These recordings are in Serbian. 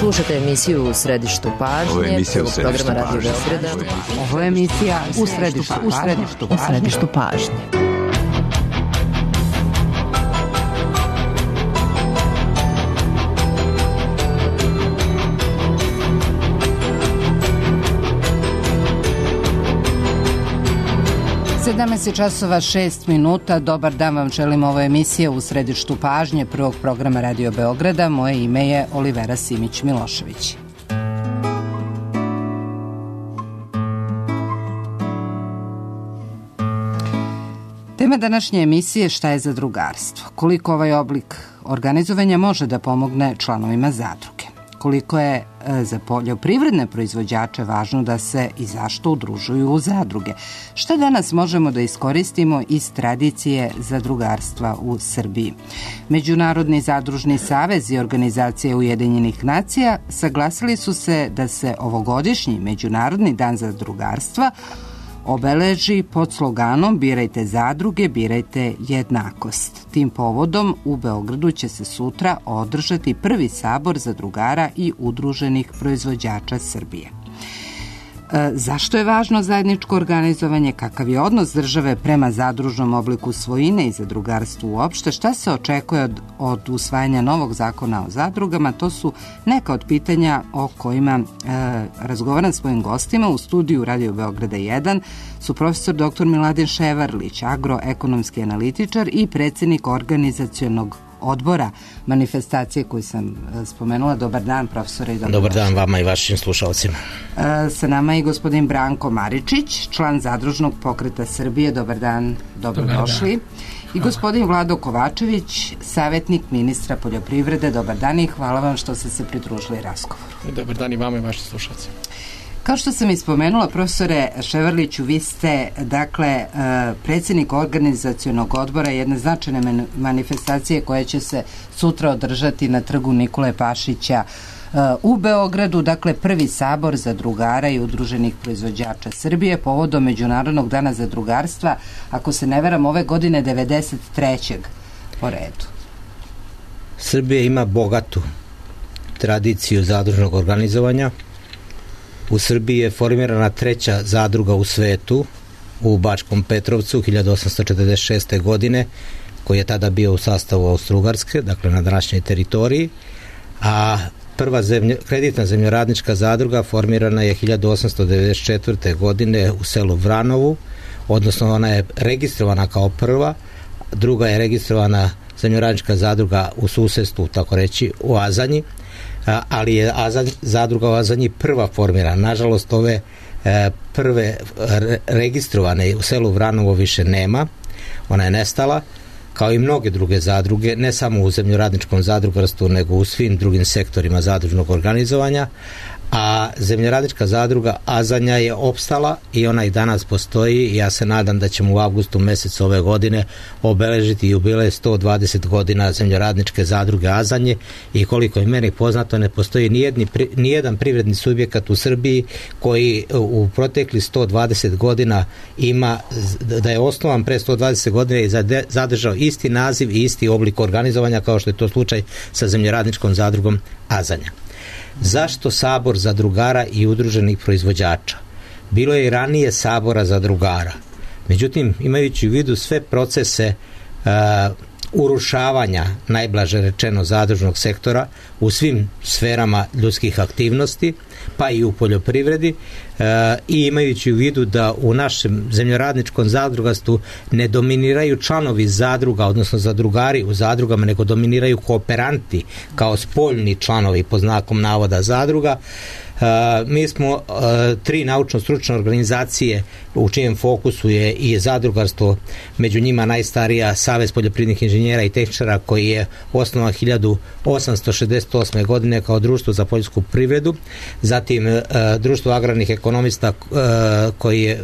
Slušate emisiju U središtu pažnje, programa Radio Beograda. Ovo je emisija U središtu pažnje. Časova 6 minuta. Dobar dan vam želim, ovo je emisija U središtu pažnje prvog programa Radio Beograda. Moje ime je Olivera Simić-Milošević. Tema današnje emisije: šta je zadrugarstvo? Koliko ovaj oblik organizovanja može da pomogne članovima zadruge? Koliko je za poljoprivredne proizvođače važno da se i zašto udružuju u zadruge? Šta danas možemo da iskoristimo iz tradicije zadrugarstva u Srbiji? Međunarodni zadružni savez i organizacije Ujedinjenih nacija saglasili su se da se ovogodišnji Međunarodni dan zadrugarstva obeleži pod sloganom "Birajte zadruge, birajte jednakost". Tim povodom u Beogradu će se sutra održati prvi sabor zadrugara i udruženih proizvođača Srbije. Zašto je važno zajedničko organizovanje? Kakav je odnos države prema zadružnom obliku svojine i zadrugarstvu uopšte? Šta se očekuje od usvajanja novog zakona o zadrugama? To su neka od pitanja o kojima razgovaram s mojim gostima. U studiju Radio Beograda 1 su profesor dr. Miladin Ševarlić, agroekonomski analitičar i predsjednik organizacionog odbora manifestacije koju sam spomenula. Dobar dan, profesore. Dobar dan vama i vašim slušalcima. Sa nama je i gospodin Branko Maričić, član Zadružnog pokreta Srbije. Dobar dan, dobrodošli. I gospodin Vlado Kovačević, savjetnik ministra poljoprivrede. Dobar dan i hvala vam što ste se pridružili razgovoru. Dobar dan i vama i vašim slušalcima. Kao što sam ispomenula, profesore Ševarliću, vi ste, dakle, predsjednik organizacionog odbora jedne značajne manifestacije koja će se sutra održati na trgu Nikole Pašića u Beogradu, dakle prvi sabor zadrugara i udruženih proizvođača Srbije povodom Međunarodnog dana zadrugarstva, ako se ne varam, ove godine 93. po redu. Srbija ima bogatu tradiciju zadružnog organizovanja. U Srbiji je formirana treća zadruga u svetu u Bačkom Petrovcu 1846. godine, koji je tada bio u sastavu Austro-Ugarske, dakle na današnjoj teritoriji, a prva kreditna zemljoradnička zadruga formirana je 1894. godine u selu Vranovu, odnosno ona je registrovana kao prva, druga je registrovana zemljoradnička zadruga u susedstvu, tako reći, u Azanji, ali je zadruga u Azanji prva formirana. Nažalost, ove prve registrovane u selu Vranovo više nema, ona je nestala, kao i mnoge druge zadruge, ne samo u zemljoradničkom zadrugarstvu, nego u svim drugim sektorima zadružnog organizovanja, a zemljoradnička zadruga Azanja je opstala i ona i danas postoji i ja se nadam da ćemo u avgustu mjesecu ove godine obeležiti jubilej 120 godina zemljoradničke zadruge Azanje i koliko je meni poznato ne postoji nijedan privredni subjekat u Srbiji koji u protekli 120 godina ima, da je osnovan pre 120 godina i zadržao isti naziv i isti oblik organizovanja kao što je to slučaj sa zemljoradničkom zadrugom Azanja. Zašto sabor zadrugara i udruženih proizvođača? Bilo je i ranije sabora zadrugara. Međutim, imajući u vidu sve procese urušavanja, najblaže rečeno, zadružnog sektora u svim sferama ljudskih aktivnosti, pa i u poljoprivredi, i imajući u vidu da u našem zemljoradničkom zadrugarstvu ne dominiraju članovi zadruga, odnosno zadrugari u zadrugama, nego dominiraju kooperanti kao spoljni članovi pod znakom navoda zadruga. Mi smo tri naučno-stručne organizacije u čijem fokusu je i zadrugarstvo, među njima najstarija Savez poljoprivrednih inženjera i tehničara koji je osnovan 1868. godine kao društvo za poljsku privredu, zatim društvo agrarnih ekonomista koji je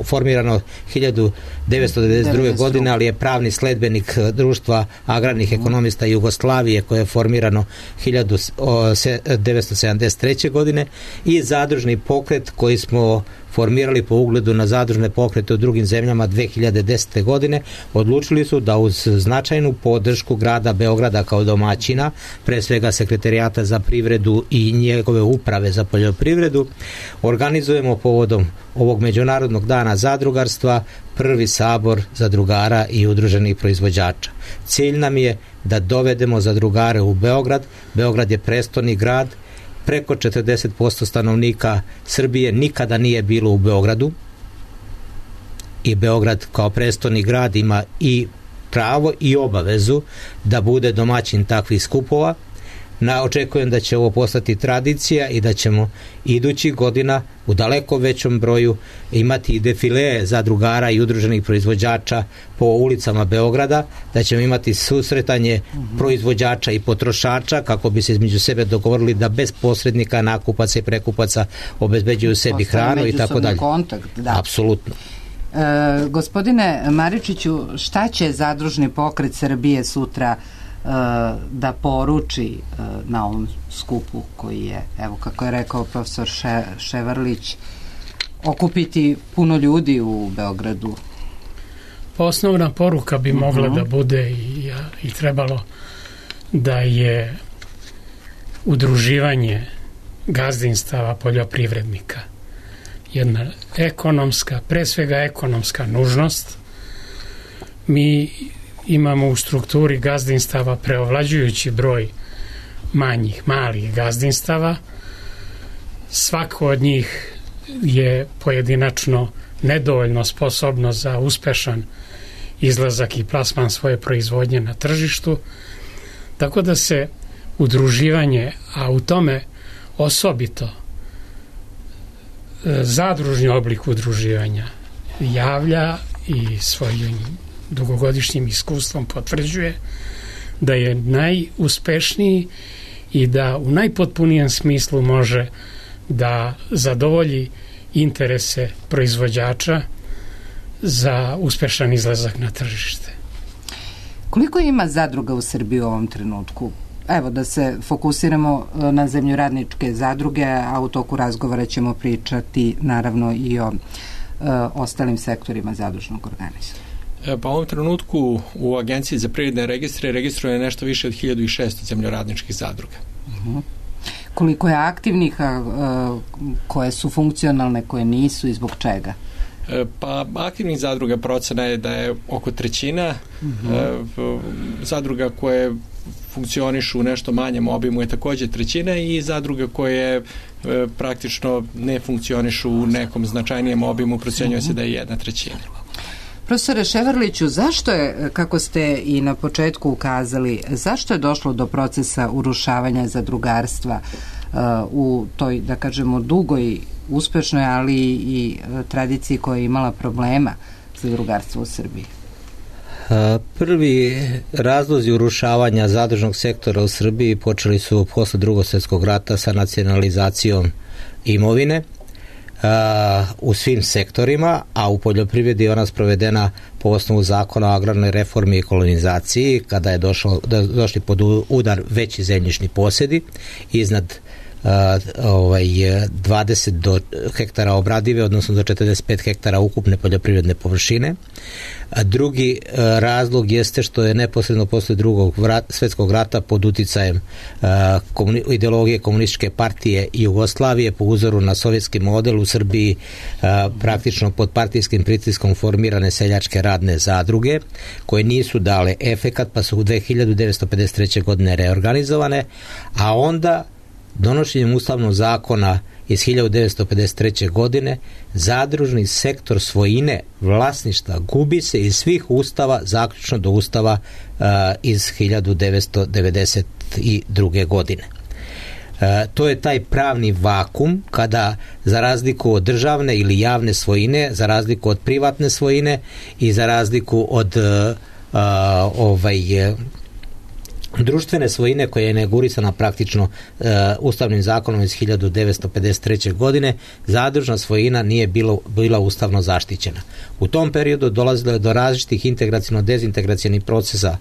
formirano 1992. godine, ali je pravni sledbenik društva agrarnih ekonomista Jugoslavije koje je formirano 1973. 1993. godine i zadružni pokret koji smo formirali po ugledu na zadružne pokrete u drugim zemljama 2010. godine, odlučili su da uz značajnu podršku grada Beograda kao domaćina, pre svega Sekretarijata za privredu i njegove uprave za poljoprivredu, organizujemo povodom ovog Međunarodnog dana zadrugarstva prvi sabor zadrugara i udruženih proizvođača. Cilj nam je da dovedemo zadrugare u Beograd. Beograd je prestoni grad. Preko 40% stanovnika Srbije nikada nije bilo u Beogradu i Beograd kao prestoni grad ima i pravo i obavezu da bude domaćin takvih skupova. Očekujem da će ovo postati tradicija i da ćemo idućih godina u daleko većom broju imati i defilee zadrugara i udruženih proizvođača po ulicama Beograda, da ćemo imati susretanje proizvođača i potrošača kako bi se između sebe dogovorili da bez posrednika, nakupaca i prekupaca obezbeđuju sebi hranu i tako dalje. Kontakt, da. Apsolutno. Gospodine Maričiću, šta će Zadružni pokret Srbije sutra da poruči na ovom skupu koji je, evo kako je rekao profesor Ševarlić, okupiti puno ljudi u Beogradu? Osnovna poruka bi mogla da bude i trebalo da je udruživanje gazdinstava poljoprivrednika jedna ekonomska, pre svega ekonomska nužnost. Mi imamo u strukturi gazdinstava preovlađujući broj malih gazdinstava. Svako od njih je pojedinačno nedovoljno sposobno za uspešan izlazak i plasman svoje proizvodnje na tržištu, tako da se udruživanje, a u tome osobito zadružni oblik udruživanja javlja i svojim dugogodišnjim iskustvom potvrđuje da je najuspešniji i da u najpotpunijem smislu može da zadovolji interese proizvođača za uspešan izlazak na tržište. Koliko ima zadruga u Srbiji u ovom trenutku? Evo, da se fokusiramo na zemljoradničke zadruge, a u toku razgovora ćemo pričati naravno i o ostalim sektorima zadružnog organizma. Pa u ovom trenutku u Agenciji za privredne registre registruje nešto više od 1600 zemljoradničkih zadruga. Koliko je aktivnih, koje su funkcionalne, koje nisu i zbog čega? Pa aktivnih zadruga procena je da je oko trećina. Zadruga koje funkcionišu u nešto manjem obimu je također trećina i zadruga koje praktično ne funkcionišu u nekom značajnijem obimu procenjuje se da je 1/3. Profesore Ševarliću, zašto je, kako ste i na početku ukazali, zašto je došlo do procesa urušavanja zadrugarstva u toj, da kažemo, dugoj, uspešnoj, ali i tradiciji koja je imala problema zadrugarstva u Srbiji? Prvi razlozi urušavanja zadružnog sektora u Srbiji počeli su posle Drugog svjetskog rata sa nacionalizacijom imovine u svim sektorima, a u poljoprivredi je ona sprovedena po osnovu zakona o agrarnoj reformi i kolonizaciji, kada je došli pod udar veći zemljišni posjedi iznad 20 do hektara obradive, odnosno do 45 hektara ukupne poljoprivredne površine. Drugi razlog jeste što je neposredno posle Drugog svjetskog rata pod uticajem ideologije komunističke partije Jugoslavije po uzoru na sovjetski model u Srbiji praktično pod partijskim pritiskom formirane seljačke radne zadruge koje nisu dale efekat, pa su u 1953. godine reorganizovane, a onda donošenjem ustavnog zakona iz 1953. godine zadružni sektor svojine vlasništva gubi se iz svih ustava, zaključno do ustava iz 1992. godine. To je taj pravni vakum kada, za razliku od državne ili javne svojine, za razliku od privatne svojine i za razliku od društvene svojine koja je inaugurisana praktično ustavnim zakonom iz 1953. godine, zadružna svojina nije bila ustavno zaštićena. U tom periodu dolazilo je do različitih integraciono-dezintegracionih procesa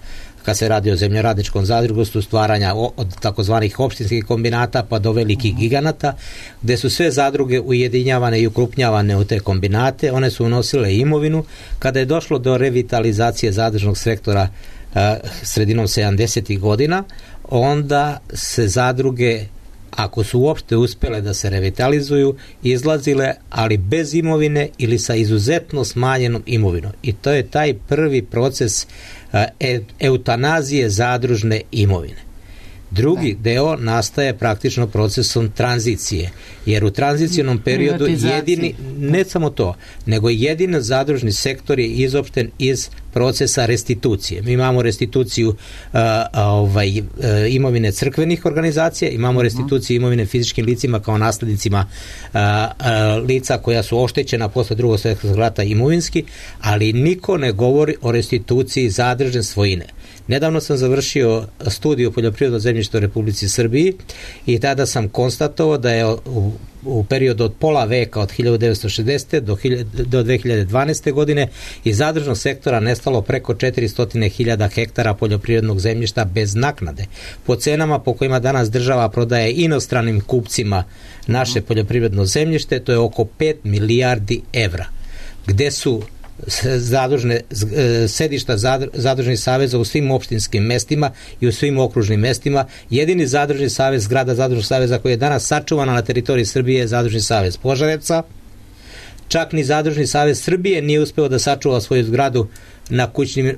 kad se radi o zemljoradničkom zadrugarstvu, stvaranja od takozvanih opštinskih kombinata pa do velikih giganata, gde su sve zadruge ujedinjavane i ukrupnjavane u te kombinate. One su unosile imovinu. Kada je došlo do revitalizacije zadružnog sektora sredinom 70. godina, onda se zadruge, ako su uopšte uspele da se revitalizuju, izlazile, ali bez imovine ili sa izuzetno smanjenom imovinom. I to je taj prvi proces eutanazije zadružne imovine. Drugi deo nastaje praktično procesom tranzicije, jer u tranzicionom periodu jedini, ne samo to, nego jedini zadružni sektor je izopšten iz procesa restitucije. Mi imamo restituciju imovine crkvenih organizacija, imamo restituciju imovine fizičkim licima kao naslednicima lica koja su oštećena posle Drugog svjetskog rata imovinski, ali niko ne govori o restituciji zadružne svojine. Nedavno sam završio studiju poljoprivrednog zemljišta u Republici Srbiji i tada sam konstatovao da je u periodu od pola veka od 1960. do 2012. godine iz zadružnog sektora nestalo preko 400.000 hektara poljoprivrednog zemljišta bez naknade. Po cenama po kojima danas država prodaje inostranim kupcima naše poljoprivredno zemljište, to je oko 5 milijardi evra. Gde su sedišta zadružnih saveza u svim opštinskim mestima i u svim okružnim mestima. Jedini zadružni savez, zgrada zadružnog saveza koji je danas sačuvana na teritoriji Srbije je zadružni savez Požarevca. Čak ni zadružni savez Srbije nije uspeo da sačuva svoju zgradu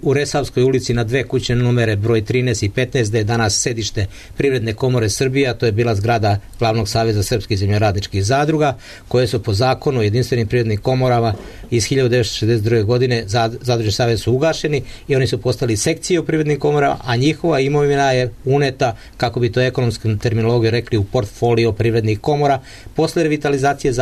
u Resavskoj ulici na 2 kućne numere broj 13 i 15, da je danas sedište Privredne komore Srbije, a to je bila zgrada Glavnog saveza srpskih zemljoradničkih zadruga, koje su po zakonu o jedinstvenim privrednim komorama iz 1962. godine zadružni savez su ugašeni i oni su postali sekcije u privrednim komorama, a njihova imovina je uneta, kako bi to ekonomskom terminologijom rekli, u portfolio privrednih komora. Posle revitalizacije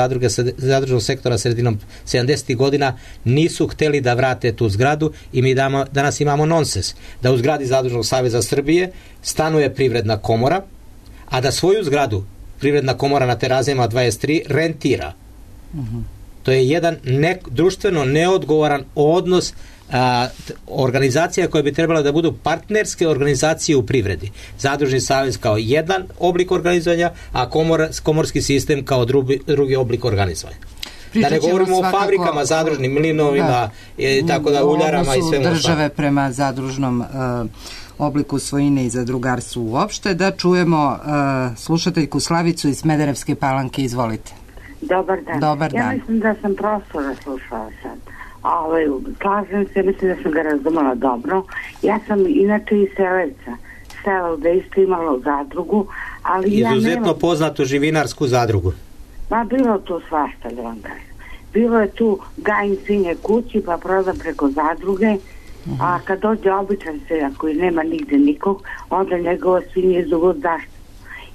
zadružnog sektora sredinom 70. godina nisu hteli da vrate tu zgradu i mi danas imamo nonsens da u zgradi Zadružnog saveza Srbije stanuje Privredna komora, a da svoju zgradu Privredna komora na Terazijama 23 rentira. To je jedan društveno neodgovoran odnos organizacija koje bi trebala da budu partnerske organizacije u privredi. Zadružni savez kao jedan oblik organizovanja, a komorski sistem kao drugi oblik organizovanja. Da ne govorimo o fabrikama, zadružnim mlinovima, tako da uljarama i svemu. Države prema zadružnom obliku svojine i zadrugarstvu uopšte. Da čujemo slušateljku Slavicu iz Smederevske Palanke. Izvolite. Dobar dan. Dobar dan. Ja mislim da sam profesora slušala sad. Slažem se, mislim da sam ga razumela dobro. Ja sam inače iz sela gde isto imalo zadrugu, ali izuzetno poznatu živinarsku zadrugu. Bilo tu svašta, da vam kažem. Bilo je tu gajim svinje kući, pa prodam preko zadruge, a kad dođe običan seljak koji nema nigde nikog, onda njegova svinje izugo zašto.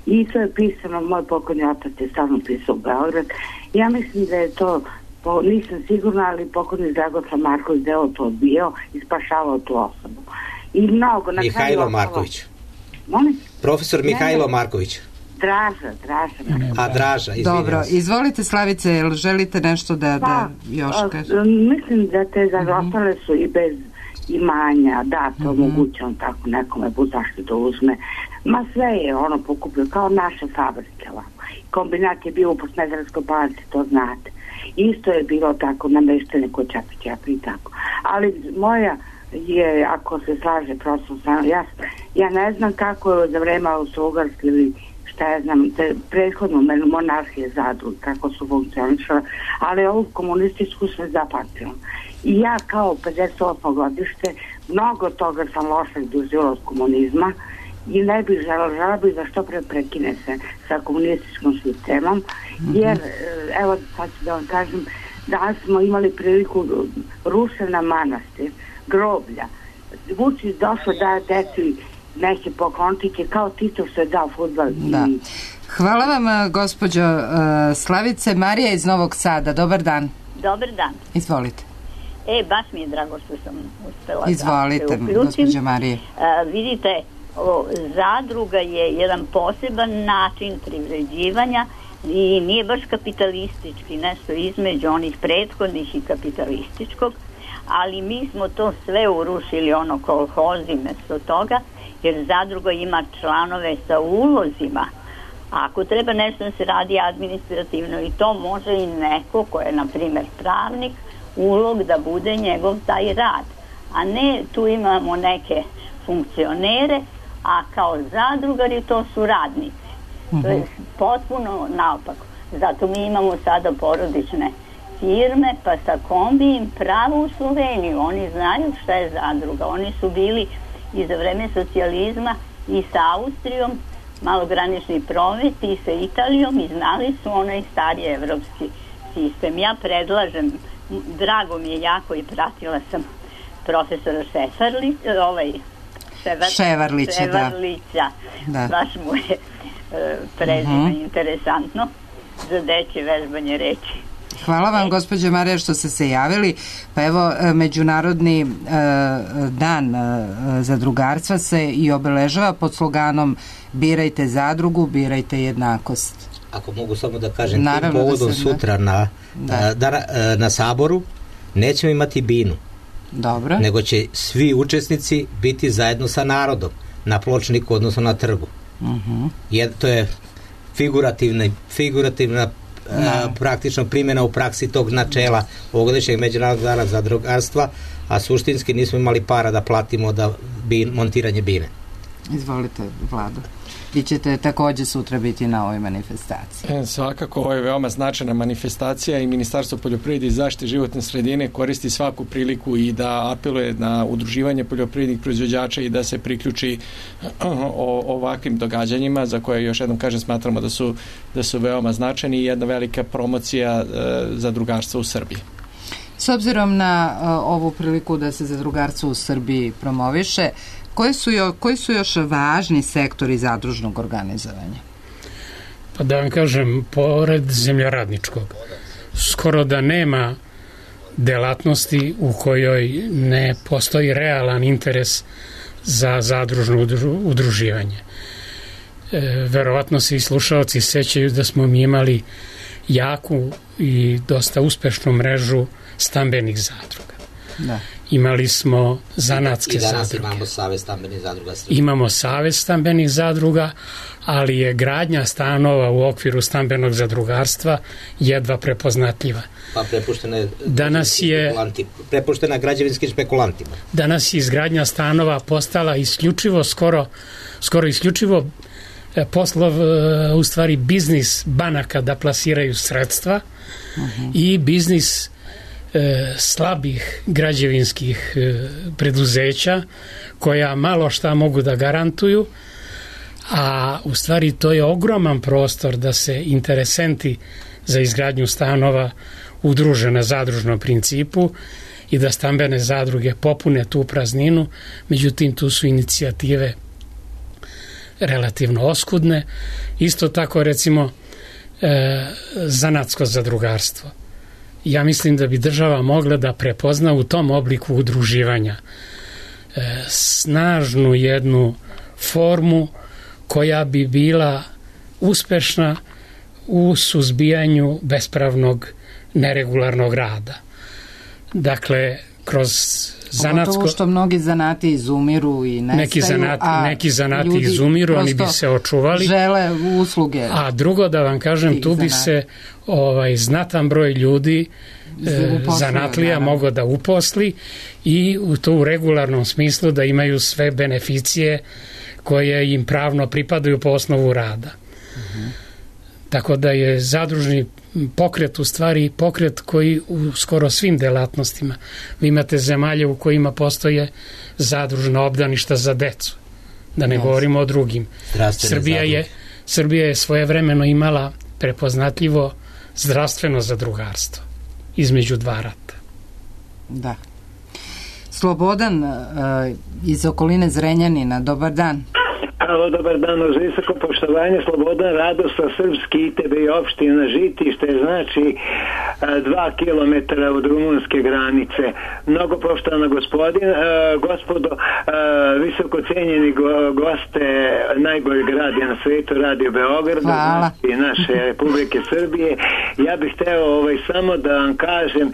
I to je pisano, moj pokojni otac je stavno pisao u Beograd. Ja mislim da je to, nisam sigurna, ali pokojni Dragoslav Marković deo to odbijao i spašavao tu osobu. I mnogo... Mihajlo Marković. Molim? Profesor Mihajlo Marković. Draža, izvinjam. Dobro, izvolite Slavice, jel želite nešto da još kažete? Mislim da te ostale su i bez imanja, da, to omogućam tako nekome, zašto da uzme. Ma sve je ono pokupio, kao naše fabrike. Kombinat je bio u Smederevskoj Palanci, to znate. Isto je bilo tako, nameštene kod Čapi i tako. Ali moja je, ako se slaže, prosto ja ne znam kako je za vreme Austro-Ugarske ili ja znam, prethodno monarhije zadruge, kako su funkcionišale, ali ovu komunističku sve zapamtila. I ja kao 58. godište, mnogo toga sam loše doživjela od komunizma i ne bih želela bi da što pre prekine se sa komunističkom sistemom, jer, evo sad ću da vam kažem, danas smo imali priliku rušena manastir, groblja. Vučić došao da deci neke poklončiće kao Tito što je dao fudbal. Da. Hvala vam, gospođo Slavice. Marija iz Novog Sada, dobar dan. Dobar dan. Izvolite. Baš mi je drago što sam uspela. Izvolite, gospođo Marije. Vidite, zadruga je jedan poseban način privređivanja i nije baš kapitalistički, nešto između onih prethodnih i kapitalističkog, ali mi smo to sve urušili, ono kolhozi mesto toga, jer zadruga ima članove sa ulozima. Ako treba nešto da se radi administrativno, i to može i neko ko je, na primjer, pravnik, ulog da bude njegov taj rad. A ne, tu imamo neke funkcionere, a kao zadrugari to su radnici. To je potpuno naopako. Zato mi imamo sada porodične firme, pa sa kombijem pravo u Sloveniju. Oni znaju šta je zadruga. Oni su bili i za vreme socijalizma i sa Austrijom, malogranični promet, i sa Italijom, i znali su onaj stari evropski sistem. Ja predlažem, drago mi je jako, i pratila sam profesora Ševarlića. Da. Baš mu je prezime interesantno za dečje vežbanje reči. Hvala vam, gospođo Marija, što ste se javili. Pa evo, Međunarodni dan zadrugarstva se i obeležava pod sloganom birajte zadrugu, birajte jednakost. Ako mogu samo da kažem, tim povodom sutra na Saboru nećemo imati binu. Dobro. Nego će svi učesnici biti zajedno sa narodom na pločniku, odnosno na trgu. To je figurativna praktično primjena u praksi tog načela ovogodišnjeg Međunarodnog dana zadrugarstva, a suštinski nismo imali para da platimo montiranje bine. Izvolite, Vlado. Vi ćete također sutra biti na ovoj manifestaciji. Svakako, ovo je veoma značajna manifestacija i Ministarstvo poljoprivrede i zaštite životne sredine koristi svaku priliku i da apeluje na udruživanje poljoprivrednih proizvođača i da se priključi ovakvim događanjima, za koje, još jednom kažem, smatramo da su veoma značajni i jedna velika promocija zadrugarstva u Srbiji. S obzirom na ovu priliku da se zadrugarstvo u Srbiji promoviše, koji su još važni sektori zadružnog organizovanja? Pa da vam kažem, pored zemljoradničkog, skoro da nema delatnosti u kojoj ne postoji realan interes za zadružno udruživanje. Verovatno se i slušalci sećaju da smo mi imali jaku i dosta uspešnu mrežu stambenih zadruga. Da. Imali smo zanatske zadruge. I danas imamo Savez stambenih zadruga. Imamo Savez stambenih zadruga, ali je gradnja stanova u okviru stambenog zadrugarstva jedva prepoznatljiva. Pa prepuštena građevinskim špekulantima. Danas je izgradnja stanova postala isključivo, skoro isključivo poslov, u stvari biznis banaka da plasiraju sredstva i biznis slabih građevinskih preduzeća koja malo šta mogu da garantuju, a u stvari to je ogroman prostor da se interesenti za izgradnju stanova udruže na zadružnom principu i da stambene zadruge popune tu prazninu. Međutim, tu su inicijative relativno oskudne. Isto tako, recimo, zanatsko zadrugarstvo. Ja mislim da bi država mogla da prepozna u tom obliku udruživanja snažnu jednu formu koja bi bila uspešna u suzbijanju bespravnog neregularnog rada. Dakle, kroz zanatsko... Pogotovo što mnogi zanati izumiru i nestaju, neki zanati izumiru, oni bi se očuvali. Žele usluge. A drugo, da vam kažem, tu bi se znatan broj ljudi zanatlija mogao da uposli i to u regularnom smislu da imaju sve beneficije koje im pravno pripadaju po osnovu rada. Tako da je zadružni pokret u stvari pokret koji u skoro svim delatnostima. Vi imate zemalje u kojima postoje zadružna obdaništa za decu. Da ne govorimo o drugim. Srbija je svojevremeno imala prepoznatljivo zdravstveno zadrugarstvo između dva rata. Da. Slobodan iz okoline Zrenjanina, dobar dan. Halo, dobar dan, uz visoko poštovanje, Slobodan Radoslav, Srpski ITB i opština Žitište, znači 2 kilometara od rumunske granice. Mnogo poštovana gospodo, visoko cenjeni goste, najbolji grad je na svetu, Radio Beograd, znači naše Republike Srbije. Ja bih hteo samo da vam kažem,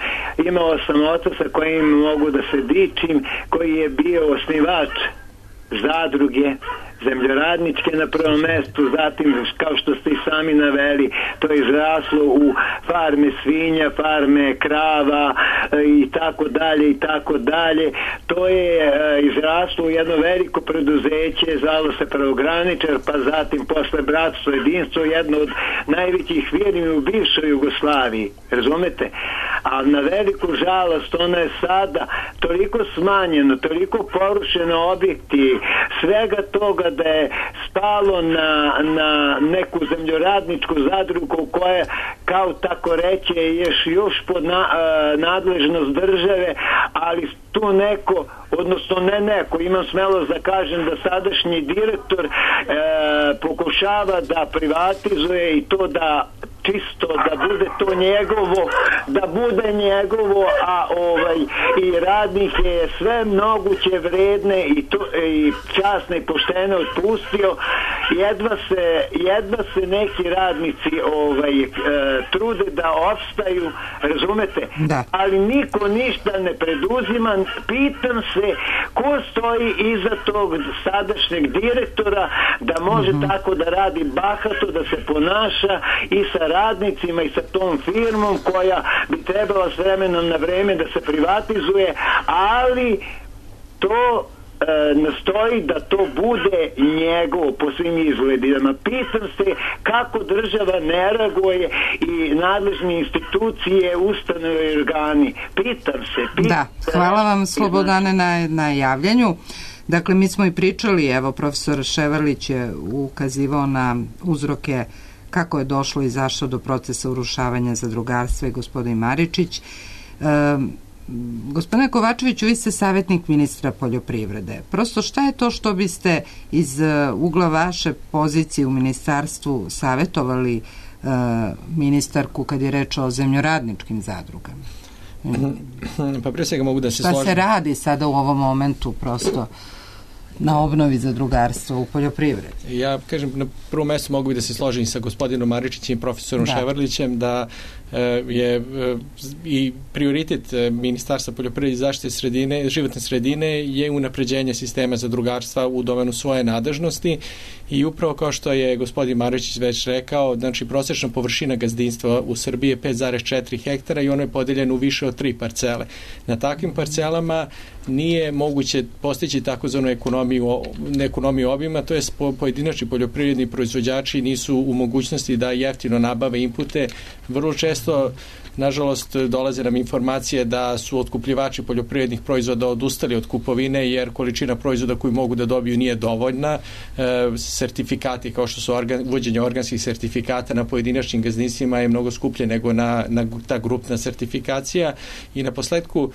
imao sam oca sa kojim mogu da se dičim, koji je bio osnivač zadruge zemljoradničke na prvom mestu, zatim kao što ste i sami naveli, to je izraslo u farme svinja, farme krava i tako dalje i tako dalje. To je izraslo u jedno veliko preduzeće, zvalo se Pravograničar, pa zatim posle Bratstvo jedinstvo, jedno od najvećih firmi u bivšoj Jugoslaviji, razumete? A na veliku žalost ono je sada toliko smanjeno, toliko porušeno objekti, svega toga da je spalo na neku zemljoradničku zadrugu koja kao tako reće je još pod nadležnost države, ali tu neko, odnosno ne neko, imam smelost da kažem da sadašnji direktor pokušava da privatizuje i to da čisto da bude to njegovo, a i radnike sve moguće vredne i časne i poštene otpustio. Jedva se neki radnici trude da opstaju, razumete? Da. Ali niko ništa ne preduzima. Pitam se ko stoji iza tog sadašnjeg direktora da može tako da radi bahato, da se ponaša i sa radnicima i sa tom firmom koja bi trebala s vremenom na vreme da se privatizuje, ali to nastoji da to bude njegovo po svim izgledima. Pitam se kako država ne reaguje i nadležne institucije, ustanove i organi. Pitam se. Da, hvala vam Slobodane na javljanju. Dakle, mi smo i pričali, evo, profesor Ševarlić je ukazivao na uzroke kako je došlo i zašto do procesa urušavanja zadrugarstva i gospodin Maričić. Gospodine Kovačeviću, vi ste savjetnik ministra poljoprivrede. Prosto šta je to što biste iz ugla vaše pozicije u ministarstvu savjetovali ministarku kad je reč o zemljoradničkim zadrugama? Pa prije svega mogu da se složim. Šta se radi sada u ovom momentu prosto na obnovi zadrugarstva u poljoprivredi? Ja kažem, na prvom mjestu mogu da se složim sa gospodinom Maričićem i profesorom Ševarlićem da je i prioritet Ministarstva poljoprivrede i zaštite životne sredine je unapređenje sistema zadrugarstva u domenu svoje nadležnosti i upravo kao što je gospodin Maričić već rekao, znači prosječna površina gazdinstva u Srbiji je 5,4 hektara i ono je podeljeno u više od 3 parcele. Na takvim parcelama nije moguće postići takozvanu ekonomiju obima, to je pojedinačni poljoprivredni proizvođači nisu u mogućnosti da jeftino nabave inpute. Vrlo često, nažalost, dolaze nam informacije da su otkupljivači poljoprivrednih proizvoda odustali od kupovine jer količina proizvoda koju mogu da dobiju nije dovoljna. Sertifikati kao što su uvođenje organskih sertifikata na pojedinačnim gazdinstvima je mnogo skuplje nego na ta grupna sertifikacija i na posledku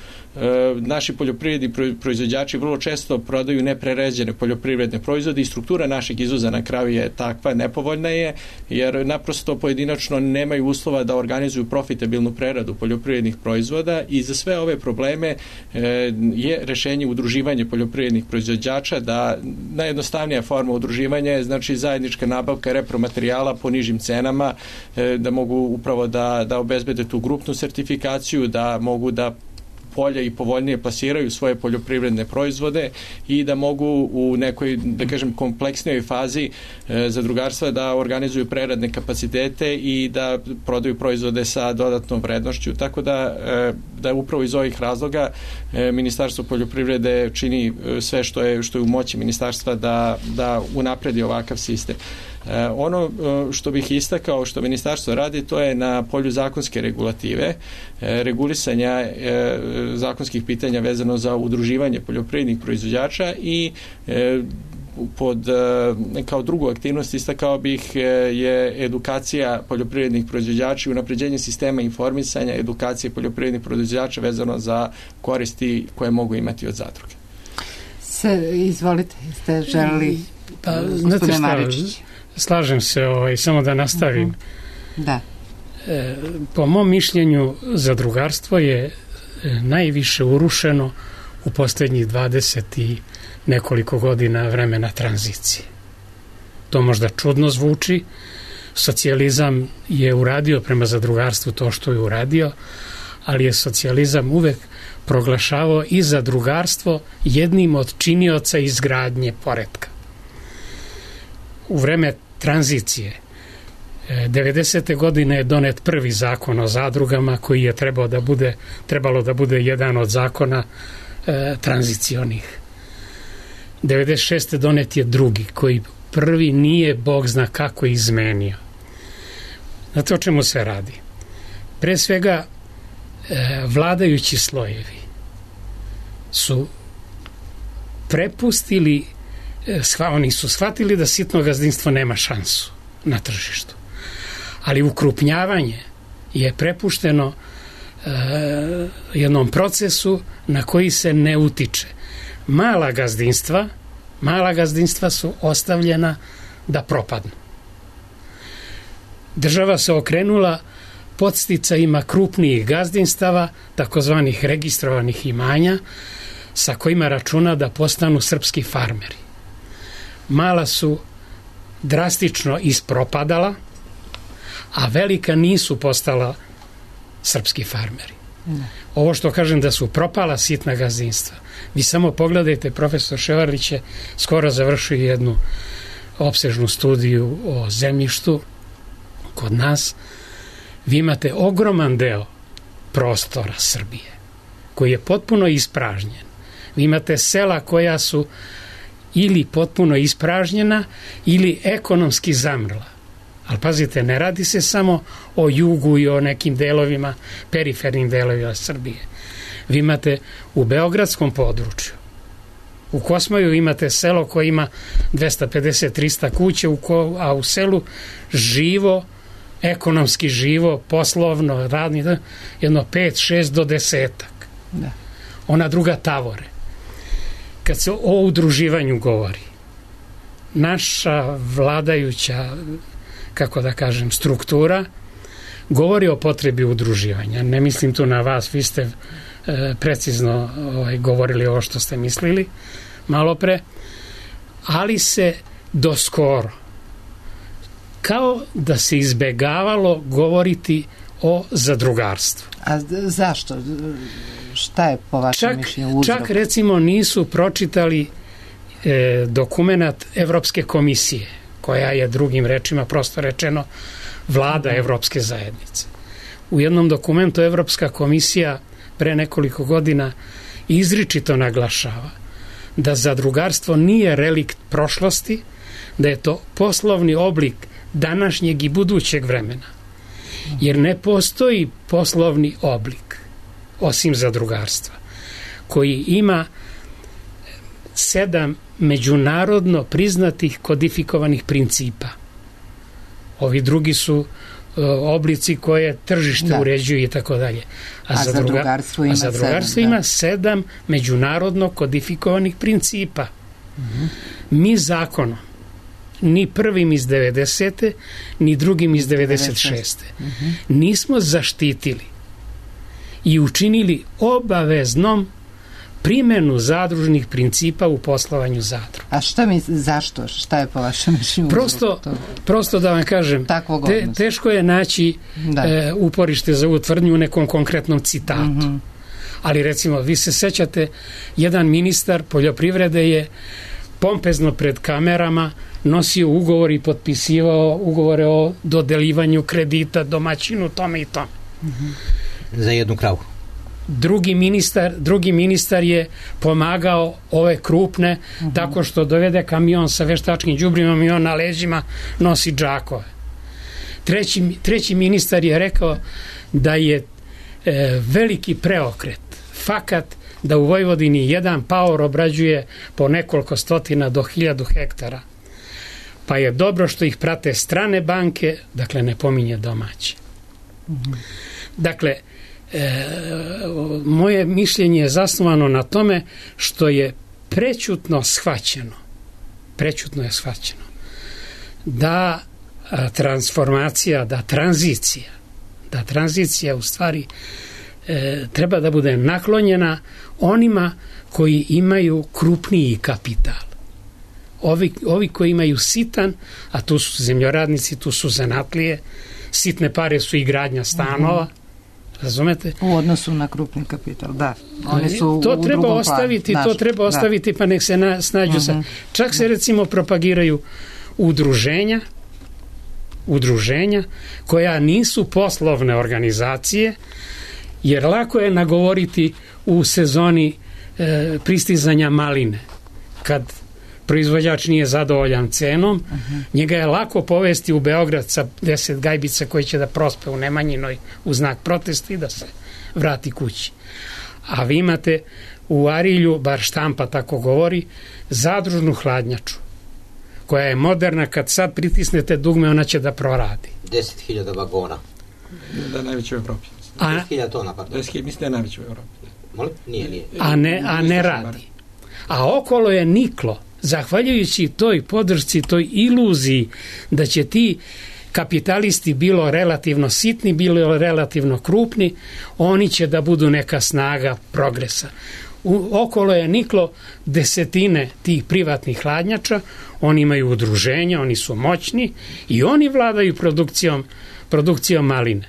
naši poljoprivredni proizvođači vrlo često prodaju nepreređene poljoprivredne proizvode i struktura našeg izvoza na kraju je takva, nepovoljna je jer naprosto pojedinačno nemaju uslova da organizuju profitabilnu preradu poljoprivrednih proizvoda i za sve ove probleme je rešenje udruživanje poljoprivrednih proizvođača, da najjednostavnija forma udruživanja je znači zajednička nabavka repromaterijala po nižim cenama, da mogu upravo da obezbede tu grupnu sertifikaciju, da mogu da polje i povoljnije plasiraju svoje poljoprivredne proizvode i da mogu u nekoj, da kažem, kompleksnijoj fazi zadrugarstva da organizuju preradne kapacitete i da prodaju proizvode sa dodatnom vrednošću. Tako da upravo iz ovih razloga Ministarstvo poljoprivrede čini sve što je u moći ministarstva da unapredi ovakav sistem. Ono što bih istakao što ministarstvo radi, to je na polju zakonske regulative, regulisanja zakonskih pitanja vezano za udruživanje poljoprivrednih proizvođača i kao drugu aktivnost istakao bih je edukacija poljoprivrednih proizvođača i unapređenje sistema informisanja, edukacije poljoprivrednih proizvođača vezano za koristi koje mogu imati od zadruge. Izvolite, ste želeli Pa, znate šta, slažem se, samo da nastavim. Da. Po mom mišljenju, zadrugarstvo je najviše urušeno u posljednjih 20 i nekoliko godina vremena tranzicije. To možda čudno zvuči. Socijalizam je uradio prema zadrugarstvu to što je uradio, ali je socijalizam uvek proglašavao i zadrugarstvo jednim od činioca izgradnje poretka. U vreme tranzicije 90. godine je donet prvi zakon o zadrugama koji je trebalo da bude jedan od zakona tranzicionih. 96. donet je drugi koji prvi nije Bog zna kako izmenio. Znate o čemu se radi? Pre svega vladajući slojevi su prepustili, oni su shvatili da sitno gazdinstvo nema šansu na tržištu. Ali ukrupnjavanje je prepušteno jednom procesu na koji se ne utiče. Mala gazdinstva su ostavljena da propadnu. Država se okrenula podsticajima krupnijih gazdinstava, takozvanih registrovanih imanja, sa kojima računa da postanu srpski farmeri. Mala su drastično ispropadala, a velika nisu postala srpski farmeri. Ovo što kažem da su propala sitna gazdinstva. Vi samo pogledajte, profesor Ševarlić je skoro završio jednu opsežnu studiju o zemljištu kod nas. Vi imate ogroman deo prostora Srbije koji je potpuno ispražnjen. Vi imate sela koja su ili potpuno ispražnjena ili ekonomski zamrla. Ali pazite, ne radi se samo o jugu i o nekim delovima, perifernim delovima Srbije. Vi imate u beogradskom području, u Kosmaju imate selo koje ima 250-300 kuće, a u selu živo, ekonomski živo, poslovno, radni, jedno 5-6 do 10. Da. Ona druga tavore. Kad se o udruživanju govori, naša vladajuća, kako da kažem, struktura govori o potrebi udruživanja. Ne mislim tu na vas, vi ste precizno govorili ovo što ste mislili malo pre, ali se doskoro kao da se izbegavalo govoriti o zadrugarstvu. A zašto? Šta je po vašem mišljenju uzrok? Čak recimo nisu pročitali dokumenat Evropske komisije, koja je drugim rečima prosto rečeno vlada Evropske zajednice. U jednom dokumentu Evropska komisija pre nekoliko godina izričito naglašava da zadrugarstvo nije relikt prošlosti, da je to poslovni oblik današnjeg i budućeg vremena. Jer ne postoji poslovni oblik, osim zadrugarstva, koji ima 7 međunarodno priznatih kodifikovanih principa. Ovi drugi su oblici koje tržište uređuje i tako dalje. A zadrugarstvo ima 7 međunarodno kodifikovanih principa. Mi zakonom, ni prvim iz 90. ni drugim iz 96. nismo zaštitili i učinili obaveznom primjenu zadružnih principa u poslovanju zadruga. A zašto? Šta je po vašem mišljenju? Prosto da vam kažem, teško je naći uporište za ovu tvrdnju u nekom konkretnom citatu. Ali recimo, vi se sećate, jedan ministar poljoprivrede je pompezno pred kamerama nosio ugovor i potpisivao ugovore o dodelivanju kredita domaćinu tome i tome. Za jednu kravu. Drugi ministar je pomagao ove krupne tako što dovede kamion sa veštačkim đubrimom i on na leđima nosi džakove. Treći ministar je rekao da je veliki preokret, fakat da u Vojvodini jedan paor obrađuje po nekoliko stotina do 1000 hektara. Pa je dobro što ih prate strane banke, dakle ne pominje domaće. Dakle, moje mišljenje je zasnovano na tome što je prećutno shvaćeno prećutno je shvaćeno, da transformacija, da tranzicija u stvari treba da bude naklonjena onima koji imaju krupniji kapital. Ovi koji imaju sitan, a tu su zemljoradnici, tu su zanatlije, sitne pare su i gradnja stanova, razumete? U odnosu na krupni kapital, da. Oni su to treba ostaviti, to treba ostaviti, pa nek se snađu sa. Čak se recimo propagiraju udruženja koja nisu poslovne organizacije, jer lako je nagovoriti u sezoni pristizanja maline, kad proizvođač nije zadovoljan cenom, njega je lako povesti u Beograd sa 10 gajbica koji će da prospe u Nemanjinoj u znak protesta i da se vrati kući. A vi imate u Arilju, bar štampa tako govori, zadružnu hladnjaču, koja je moderna, kad sad pritisnete dugme, ona će da proradi. 10.000 vagona. Da je najveći u Evropi. 10.000 tona, pardon. Mislim da je najveći u Evropi. Nije. A ne radi. A okolo je niklo, zahvaljujući toj podršci, toj iluziji da će ti kapitalisti, bilo relativno sitni, bilo relativno krupni, oni će da budu neka snaga progresa. Okolo je niklo desetine tih privatnih hladnjača, oni imaju udruženja, oni su moćni i oni vladaju produkcijom maline.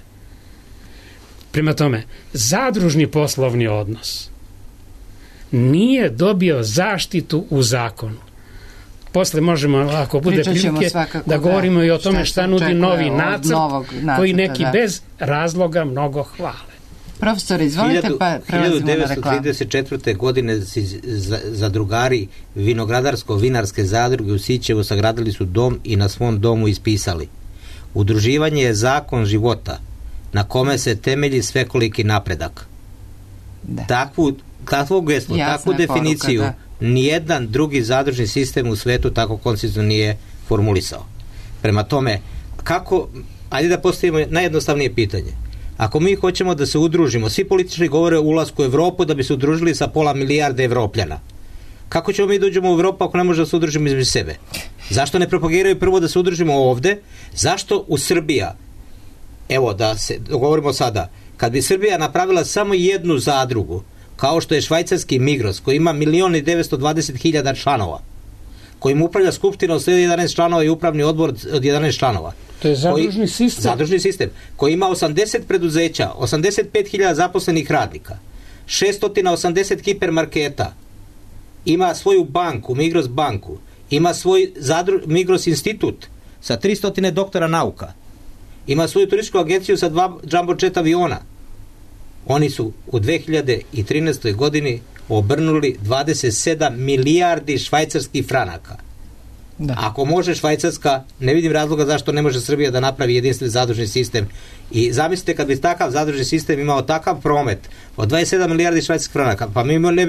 Prema tome, zadružni poslovni odnos nije dobio zaštitu u zakonu. Posle možemo, ako bude prilike, da govorimo i o tome šta nudi novi nacrt, koji neki bez razloga mnogo hvale. Profesor, izvolite, pa prelazimo na reklamu. 1934. godine zadrugari vinogradarsko-vinarske zadruge u Sićevu sagradili su dom i na svom domu ispisali: udruživanje je zakon života na kome se temelji svekoliki napredak. Takvu geslo, takvu definiciju nijedan drugi zadružni sistem u svetu tako koncizno nije formulisao. Prema tome, ajde da postavimo najjednostavnije pitanje. Ako mi hoćemo da se udružimo, svi političari govore o ulasku u Evropu da bi se udružili sa 500 milijarde Evropljana. Kako ćemo mi dođemo u Evropu ako ne možemo da se udružimo između sebe? Zašto ne propagiraju prvo da se udružimo ovde? Zašto u Srbija, evo da se dogovorimo sada, kad bi Srbija napravila samo jednu zadrugu, kao što je švajcarski Migros, koji ima 1.920.000 članova, kojim upravlja skupština od 11 članova i upravni odbor od 11 članova. To je zadružni sistem. Koji ima 80 preduzeća, 85.000 zaposlenih radnika, 680 hipermarketa, ima svoju banku, Migros banku, ima svoj Migros institut sa 300 doktora nauka, ima svoju turističku agenciju sa 2 jumbo jet aviona. Oni su u 2013. godini obrnuli 27 milijardi švajcarskih franaka. Da. Ako može Švajcarska, ne vidim razloga zašto ne može Srbija da napravi jedinstveni zadružni sistem. I zamislite kad bi takav zadružni sistem imao takav promet od 27 milijardi švajcarskih franaka, pa mi ne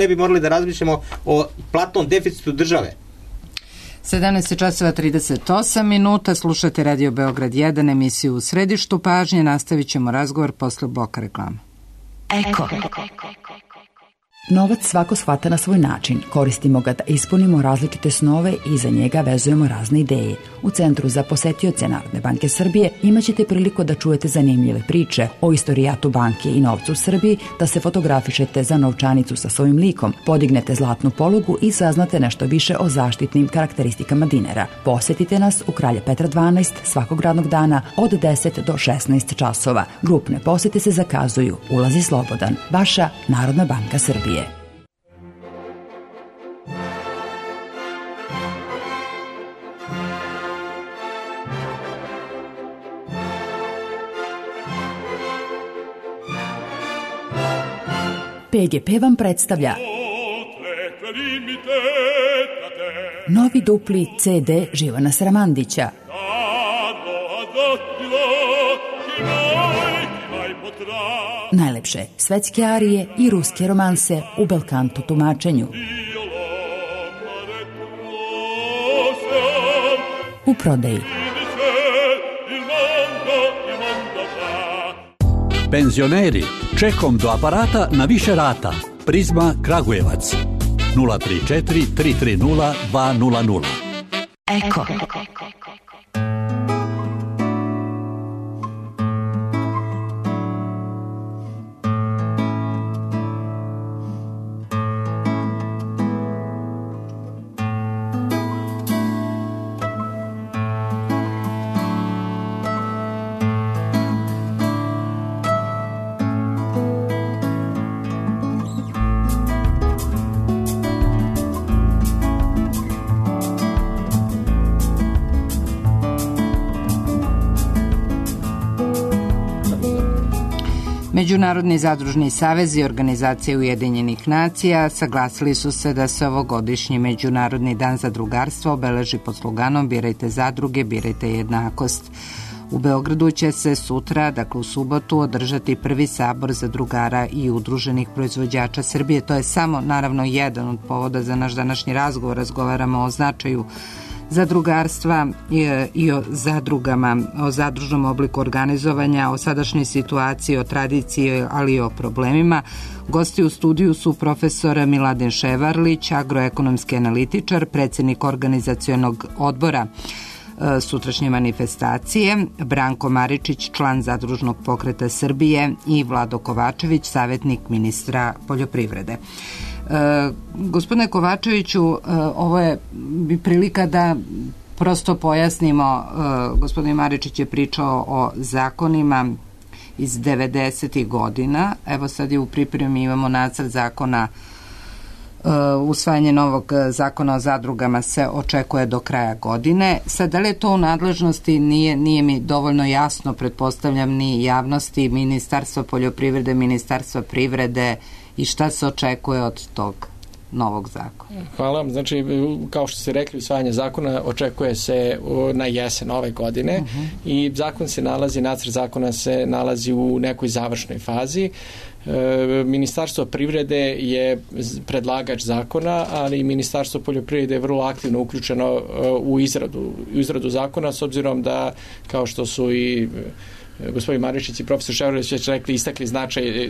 bi morali da razmišljamo o platnom deficitu države. 17:38, slušate Radio Beograd 1, emisiju U središtu pažnje. Nastavit ćemo razgovor posle bloka reklama. Eko. Novac svako shvata na svoj način. Koristimo ga da ispunimo različite snove i za njega vezujemo razne ideje. U Centru za posetioce Narodne banke Srbije imaćete priliku da čujete zanimljive priče o istorijatu banke i novcu u Srbiji, da se fotografišete za novčanicu sa svojim likom, podignete zlatnu polugu i saznate nešto više o zaštitnim karakteristikama dinara. Posetite nas u Kralja Petra 12 svakog radnog dana od 10 do 16 časova. Grupne posete se zakazuju. Ulaz je slobodan. Vaša Narodna banka Srbije. PGP vam predstavlja novi dupli CD Živana Sramandića. Najlepše svetske arije i ruske romanse u belkanto tumačenju. U prodaji. Penzioneri, čekom do aparata na više rata. Prizma Kragujevac. 034 330 200. Eko. Međunarodni zadružni savez i organizacije Ujedinjenih nacija saglasili su se da se ovogodišnji Međunarodni dan zadrugarstva obeleži pod sloganom Birajte zadruge, birajte jednakost. U Beogradu će se sutra, dakle u subotu, održati prvi sabor zadrugara i udruženih proizvođača Srbije. To je samo, naravno, jedan od povoda za naš današnji razgovor. Razgovaramo o značaju zadrugarstva i o zadrugama, o zadružnom obliku organizovanja, o sadašnjoj situaciji, o tradiciji, ali i o problemima. Gosti u studiju su profesor Miladin Ševarlić, agroekonomski analitičar, predsjednik organizacionog odbora sutrašnje manifestacije, Branko Maričić, član Zadružnog pokreta Srbije i Vlado Kovačević, savjetnik ministra poljoprivrede. Gospodine Kovačeviću, ovo je prilika da prosto pojasnimo. Gospodin Maričić je pričao o zakonima iz 90. godina. Evo sad je u pripremi, imamo nacrt zakona, usvajanje novog zakona o zadrugama se očekuje do kraja godine. Sad, da li je to u nadležnosti, nije mi dovoljno jasno, pretpostavljam, ni javnosti, Ministarstva poljoprivrede, Ministarstva privrede, i šta se očekuje od tog novog zakona? Hvala vam. Znači, kao što ste rekli, usvajanje zakona očekuje se na jesen ove godine i nacrt zakona se nalazi u nekoj završnoj fazi. Ministarstvo privrede je predlagač zakona, ali i Ministarstvo poljoprivrede je vrlo aktivno uključeno u izradu zakona, s obzirom da, kao što su i gospodin Maričić i profesor Ševarlić već rekli, istakli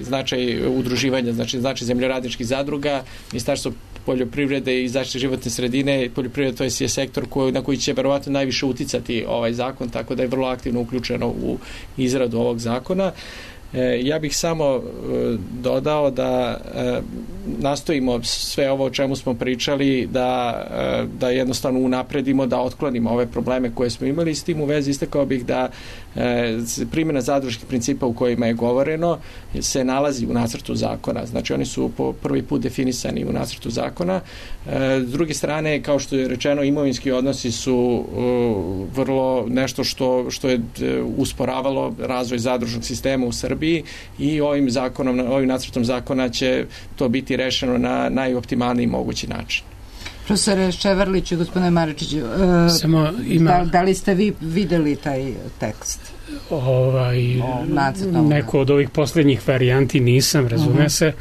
značaj udruživanja, znači značaj zemljoradničkih zadruga. Ministarstvo poljoprivrede i zaštite životne sredine, poljoprivreda to je sektor na koji će verovatno najviše uticati ovaj zakon, tako da je vrlo aktivno uključeno u izradu ovog zakona. Ja bih samo dodao da nastojimo sve ovo o čemu smo pričali da jednostavno unapredimo, da otklonimo ove probleme koje smo imali. S tim u vezi istakao bih da primjena zadružnih principa u kojima je govoreno se nalazi u nacrtu zakona. Znači oni su po prvi put definisani u nacrtu zakona. S druge strane, kao što je rečeno, imovinski odnosi su vrlo nešto što je usporavalo razvoj zadružnog sistema u Srbiji i ovim nacrtom zakona će to biti rešeno na najoptimalniji mogući način. Profesore Ševarlić i gospodine Maričiću, da li ste vi videli taj tekst? Neko od ovih posljednjih varijanti nisam, razume se.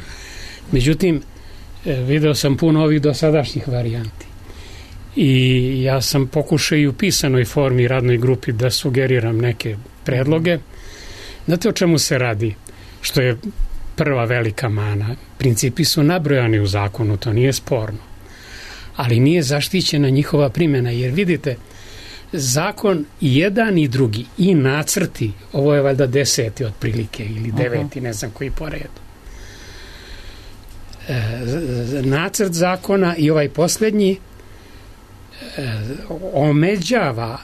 Međutim, video sam puno ovih dosadašnjih varijanti. I ja sam pokušao i u pisanoj formi radnoj grupi da sugeriram neke predloge. Znate o čemu se radi? Što je prva velika mana. Principi su nabrojani u zakonu, to nije sporno. Ali nije zaštićena njihova primjena, jer vidite, zakon jedan i drugi i nacrti, ovo je valjda 10. otprilike ili 9. ne znam koji po redu. Nacrt zakona i ovaj posljednji omeđava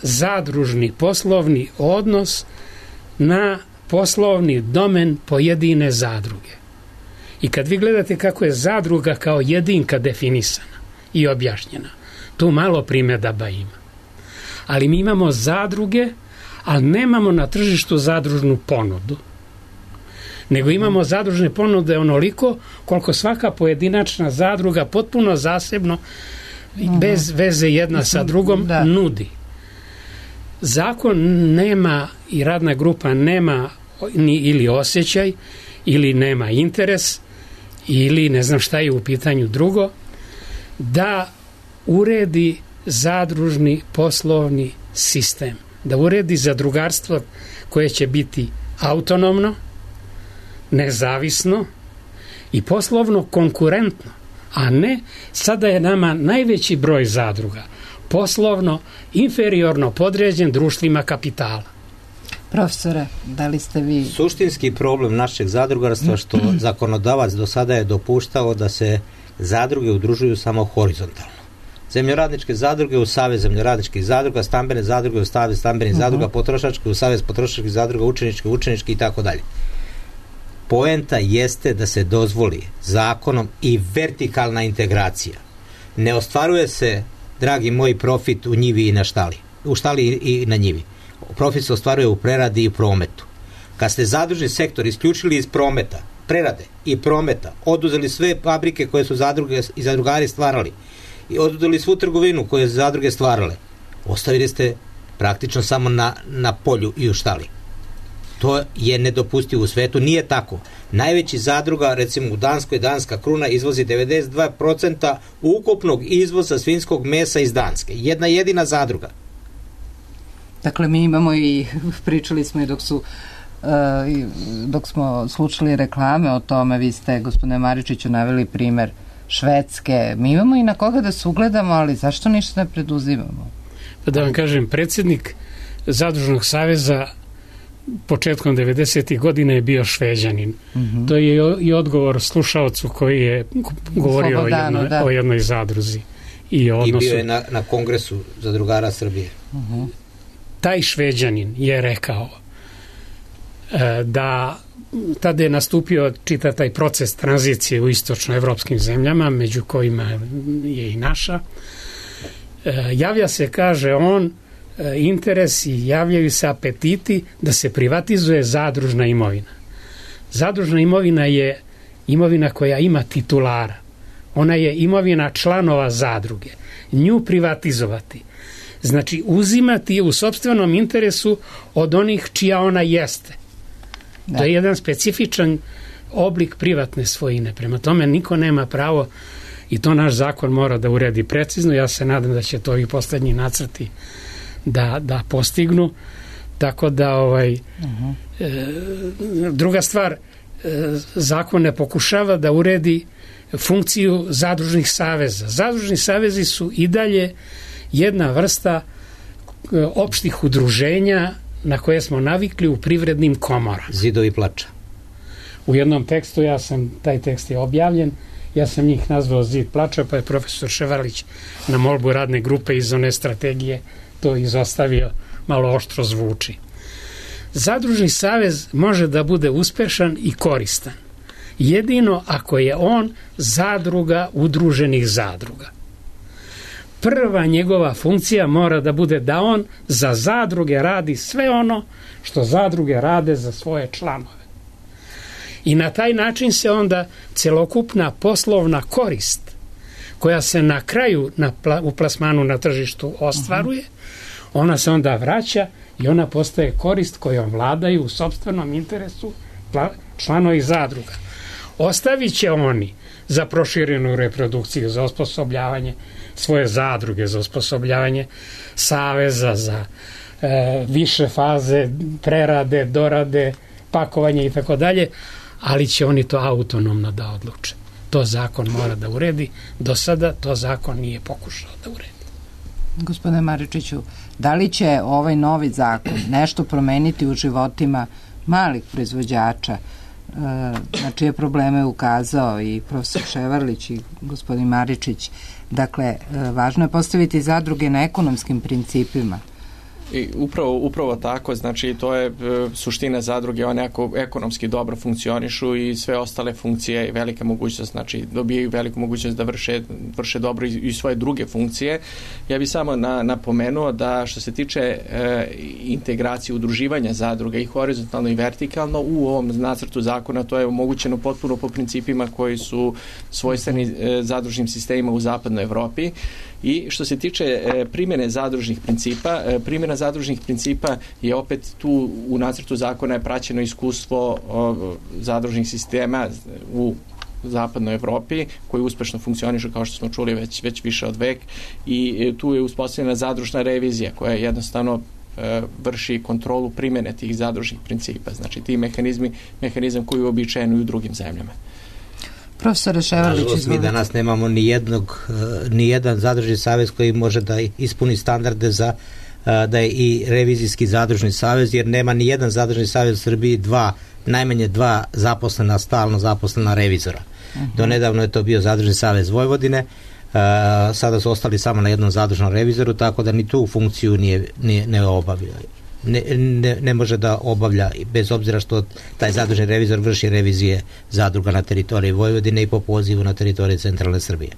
zadružni poslovni odnos na poslovni domen pojedine zadruge. I kad vi gledate kako je zadruga kao jedinka definisana i objašnjena, tu malo primjedaba ima. Ali mi imamo zadruge, ali nemamo na tržištu zadružnu ponudu. Nego imamo zadružne ponude onoliko koliko svaka pojedinačna zadruga potpuno zasebno, bez veze jedna sa drugom, nudi. Zakon nema i radna grupa nema ili osjećaj, ili nema interes, ili ne znam šta je u pitanju drugo, da uredi zadružni poslovni sistem, da uredi zadrugarstvo koje će biti autonomno, nezavisno i poslovno konkurentno. a ne sada je nama najveći broj zadruga poslovno inferiorno podređen društvima kapitala. Profesore, da li ste vi... Suštinski problem našeg zadrugarstva što zakonodavac do sada je dopuštao da se zadruge udružuju samo horizontalno. Zemljoradničke zadruge u Savez zemljoradničkih zadruga, stambene zadruge u Savez stambenih zadruga, potrošačke u Savez potrošačkih zadruga, učenički i tako dalje. Poenta jeste da se dozvoli zakonom i vertikalna integracija. Ne ostvaruje se, dragi moji, profit u njivi i na štali. U štali i na njivi. Profit se ostvaruje u preradi i prometu. Kad ste zadružni sektor isključili iz prometa, prerade i prometa, oduzeli sve fabrike koje su zadruge i zadrugari stvarali i oduzeli svu trgovinu koju su zadruge stvarale, ostavili ste praktično samo na polju i u štali. To je nedopustivo u svetu, nije tako. Najveći zadruga, recimo u Danskoj, Danska Kruna izvozi 92% ukupnog izvoza svinjskog mesa iz Danske. Jedna jedina zadruga. Dakle, mi imamo i, pričali smo i dok smo slušali reklame o tome, vi ste, gospodine Maričiću, naveli primer Švedske. Mi imamo i na koga da se ugledamo, ali zašto ništa ne preduzimamo? Pa da vam kažem, predsjednik Zadružnog saveza početkom 90. godina je bio Šveđanin. To je i odgovor slušaocu koji je govorio o jednoj zadruzi. I bio je na Kongresu zadrugara Srbije. Taj Šveđanin je rekao da tada je nastupio čitav taj proces tranzicije u istočnoevropskim zemljama, među kojima je i naša. Javlja se, kaže on, interes i javljaju se apetiti da se privatizuje zadružna imovina. Zadružna imovina je imovina koja ima titulara. Ona je imovina članova zadruge. Nju privatizovati znači uzimati je u sopstvenom interesu od onih čija ona jeste. To je jedan specifičan oblik privatne svojine. Prema tome niko nema pravo, i to naš zakon mora da uredi precizno. Ja se nadam da će to i poslednji nacrti da postignu. Tako da druga stvar, zakon ne pokušava da uredi funkciju zadružnih saveza. Zadružni savezi su i dalje jedna vrsta opštih udruženja na koje smo navikli u privrednim komorama. Zidovi plača. U jednom tekstu, taj tekst je objavljen, ja sam njih nazvao Zid plača, pa je profesor Ševarlić na molbu radne grupe iz one strategije to izostavio, malo oštro zvuči. Zadružni savez može da bude uspešan i koristan jedino ako je on zadruga udruženih zadruga. Prva njegova funkcija mora da bude da on za zadruge radi sve ono što zadruge rade za svoje članove. I na taj način se onda celokupna poslovna korist koja se na kraju u plasmanu na tržištu ostvaruje, ona se onda vraća i ona postaje korist kojom vladaju u sopstvenom interesu članovi zadruga. Ostavit će oni za proširenu reprodukciju, za osposobljavanje svoje zadruge, za osposobljavanje saveza, za više faze prerade, dorade, pakovanje i tako dalje, ali će oni to autonomno da odluče. To zakon mora da uredi. Do sada to zakon nije pokušao da uredi. Gospodine Maričiću, da li će ovaj novi zakon nešto promeniti u životima malih proizvođača, na čije probleme je ukazao i profesor Ševarlić i gospodin Maričić? Dakle, važno je postaviti zadruge na ekonomskim principima. I upravo tako, znači to je suština zadruge, one ako ekonomski dobro funkcionišu i sve ostale funkcije i velika mogućnost, znači dobijaju veliku mogućnost da vrše dobro i svoje druge funkcije. Ja bih samo napomenuo da što se tiče integracije udruživanja zadruga i horizontalno i vertikalno u ovom nacrtu zakona, to je omogućeno potpuno po principima koji su svojstveni zadružnim sistemima u zapadnoj Evropi. I što se tiče primjene zadružnih principa, primjena zadružnih principa je opet tu u nacrtu zakona je praćeno iskustvo zadružnih sistema u zapadnoj Evropi koji uspešno funkcionišu, kao što smo čuli već više od vek, i tu je uspostavljena zadružna revizija koja jednostavno vrši kontrolu primjene tih zadružnih principa. Znači ti mehanizam koji je uobičajen u drugim zemljama. Profesor Ševarlić, izvolite. Mi danas nemamo ni jedan zadružni savez koji može da ispuni standarde za da je i revizijski zadružni savez, jer nema ni jedan zadružni savez u Srbiji najmanje dva stalno zaposlena revizora. Do nedavno je to bio zadružni savez Vojvodine, sada su ostali samo na jednom zadružnom revizoru, tako da ni tu funkciju ne obavlja. Ne može da obavlja, bez obzira što taj zadružni revizor vrši revizije zadruga na teritoriji Vojvodine i po pozivu na teritoriji centralne Srbije.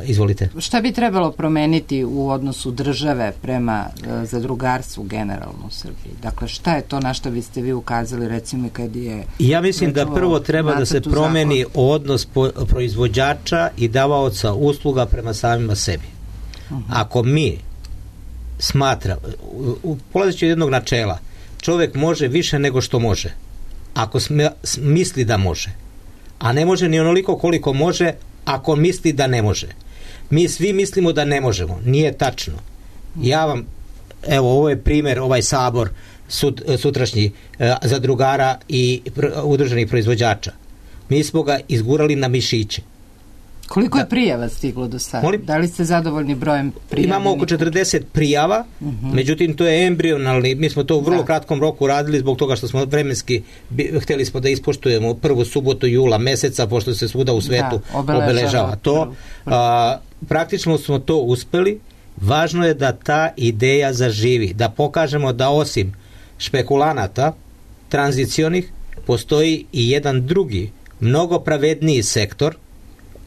Izvolite. Šta bi trebalo promeniti u odnosu države prema zadrugarstvu generalno u Srbiji? Dakle, šta je to na što biste vi ukazali, recimo, kad je... Ja mislim da prvo treba da se promeni odnos proizvođača i davaoca usluga prema samima sebi. Ako mi polazeći od jednog načela, čovjek može više nego što može, ako misli da može, a ne može ni onoliko koliko može ako misli da ne može. Mi svi mislimo da ne možemo. Nije tačno. Ovo je primjer, ovaj sabor sutrašnji zadrugara i udruženih proizvođača. Mi smo ga izgurali na mišiće. Koliko je prijava stiglo do sada? Da li ste zadovoljni brojem prijavljenih? Imamo oko 40 prijava, međutim to je embrionalni, mi smo to u vrlo kratkom roku radili zbog toga što smo vremenski htjeli smo da ispoštujemo prvu subotu jula meseca, pošto se svuda u svetu obeležava to. Praktično smo to uspeli. Važno je da ta ideja zaživi, da pokažemo da osim špekulanata tranzicionih postoji i jedan drugi, mnogo pravedniji sektor.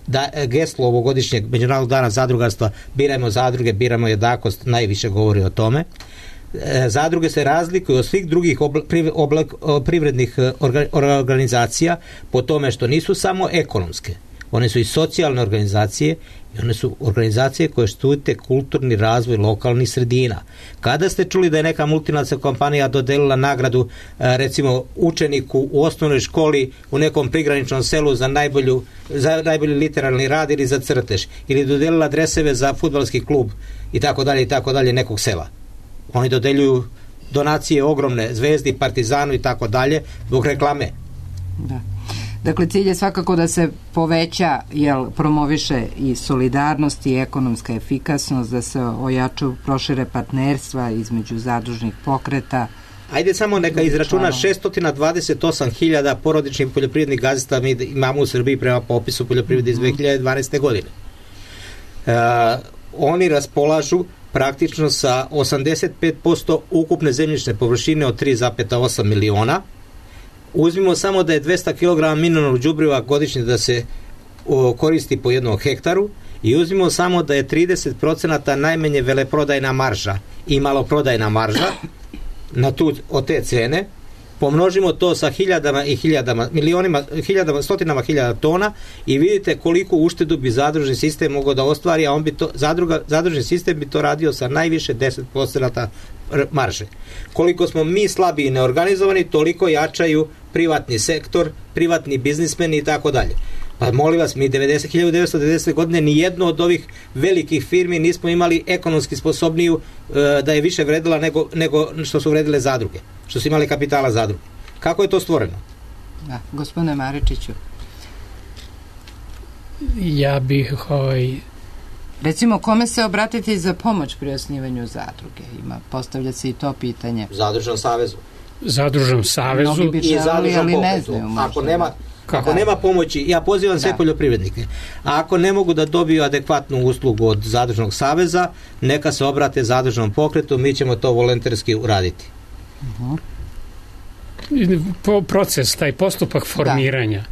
Da geslo ovogodišnjeg Međunarodnog dana zadrugarstva birajmo zadruge, birajmo jednakost, najviše govori o tome. Zadruge se razlikuju od svih drugih privrednih organizacija po tome što nisu samo ekonomske, one su i socijalne organizacije i one su organizacije koje štite kulturni razvoj lokalnih sredina. Kada ste čuli da je neka multinacionalna kompanija dodelila nagradu recimo učeniku u osnovnoj školi u nekom prigraničnom selu za najbolji literarni rad ili za crtež, ili dodelila dreseve za fudbalski klub i tako dalje nekog sela? Oni dodeljuju donacije ogromne Zvezdi, Partizanu i tako dalje zbog reklame. Da. Dakle, cilj je svakako da se poveća, promoviše i solidarnost i ekonomska efikasnost, da se ojačaju, prošire partnerstva između zadružnih pokreta. Ajde samo neka izračuna 628.000 porodičnih poljoprivrednih gazdinstava mi imamo u Srbiji prema popisu poljoprivrede iz 2012. godine. Oni raspolažu praktično sa 85% ukupne zemljišne površine od 3,8 miliona. Uzmimo samo da je 200 kg mineralnog đubriva godišnje da se koristi po jednom hektaru i uzmimo samo da je 30% najmanje veleprodajna marža i maloprodajna marža od te cene, pomnožimo to sa stotinama hiljada tona i vidite koliko uštedu bi zadružni sistem mogao da ostvari, a zadružni sistem bi to radio sa najviše 10% marže. Koliko smo mi slabiji i neorganizovani, toliko jačaju privatni sektor, privatni biznismeni i tako dalje. Pa molim vas, mi 1990. godine ni jedno od ovih velikih firmi nismo imali ekonomski sposobniju da je više vredila nego što su vredile zadruge, što su imali kapitala zadruge. Kako je to stvoreno? Da, gospodine Maričiću. Ja bih recimo, kome se obratiti za pomoć pri osnivanju zadruge? Postavlja se i to pitanje. Zadružnom savezu. Mnogi bi želeli, ali ne znaju. Ako nema pomoći, ja pozivam sve poljoprivrednike, a ako ne mogu da dobiju adekvatnu uslugu od zadružnog saveza, neka se obrate zadružnom pokretu, mi ćemo to volonterski uraditi. Proces, taj postupak formiranja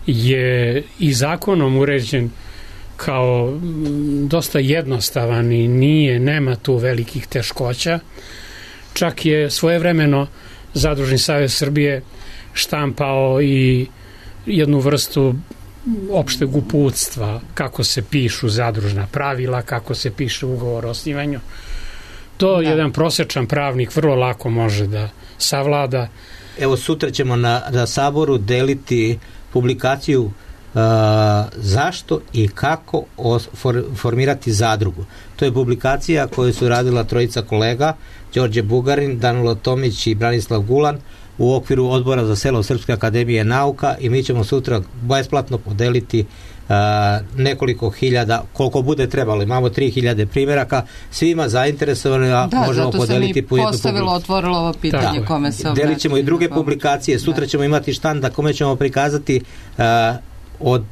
je i zakonom uređen kao dosta jednostavan i nema tu velikih teškoća. Čak je svojevremeno Zadružni savez Srbije štampao i jednu vrstu opšteg uputstva, kako se pišu zadružna pravila, kako se piše ugovor o osnivanju. To jedan prosječan pravnik vrlo lako može da savlada. Evo, sutra ćemo na Saboru deliti publikaciju zašto i kako formirati zadrugu. To je publikacija koju su radila trojica kolega, Đorđe Bugarin, Danilo Tomić i Branislav Gulan. u okviru odbora za selo Srpske akademije nauka i mi ćemo sutra besplatno podeliti nekoliko hiljada, koliko bude trebalo, imamo 3000 primjeraka, svima zainteresovanima možemo podeliti po jednu publikaciju. Otvorilo ovo pitanje kome se obraćamo. Delit ćemo i druge publikacije, sutra ćemo imati štand na kome ćemo prikazati od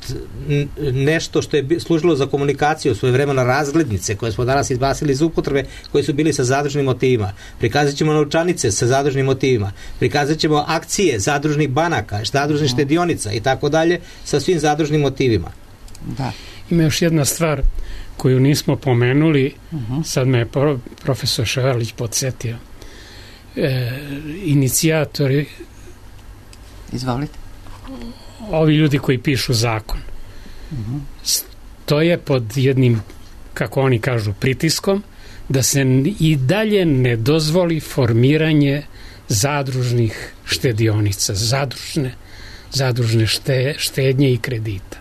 nešto što je služilo za komunikaciju svoje vremena razglednice koje smo danas izbacili iz upotrebe, koje su bili sa zadružnim motivima. Prikazat ćemo novčanice sa zadružnim motivima. Prikazat ćemo akcije zadružnih banaka, zadružnih štedionica i tako dalje sa svim zadružnim motivima. Da. Ima još jedna stvar koju nismo pomenuli, sad me je profesor Ševarlić podsjetio. Inicijatori, izvolite, ovi ljudi koji pišu zakon, stoje pod jednim, kako oni kažu, pritiskom da se i dalje ne dozvoli formiranje zadružnih štedionica, zadružne štednje i kredita.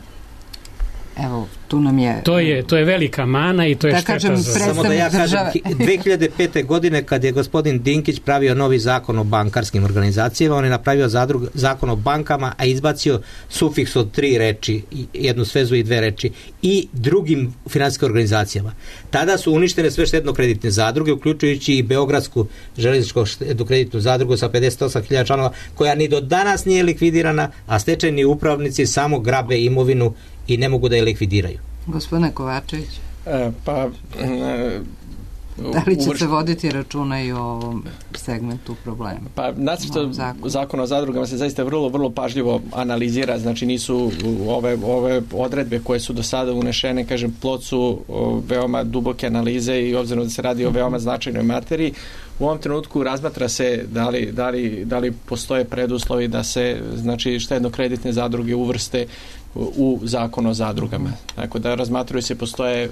Evo, tu nam je... To je velika mana i to je šteta za... Samo da ja kažem, 2005. godine kad je gospodin Dinkić pravio novi zakon o bankarskim organizacijama, on je napravio zakon o bankama, a izbacio sufiks od 3 reči, jednu svezu i 2 reči, i drugim finansijskim organizacijama. Tada su uništene sve štedno-kreditne zadruge, uključujući i Beogradsku željezničku štedno-kreditnu zadrugu sa 58.000 članova, koja ni do danas nije likvidirana, a stečajni upravnici samo grabe imovinu i ne mogu da je likvidiraju. Gospodine Kovačević, da li će se voditi računa i o ovom segmentu problema? Pa nacrt zakona o zadrugama se zaista vrlo, vrlo pažljivo analizira, znači nisu ove odredbe koje su do sada unešene, kažem, plod su veoma duboke analize i obzirom da se radi o veoma značajnoj materiji. U ovom trenutku razmatra se da li postoje preduslovi da se, znači, štedno-kreditne zadruge uvrste u zakon o zadrugama. Tako da razmatruju se, postoje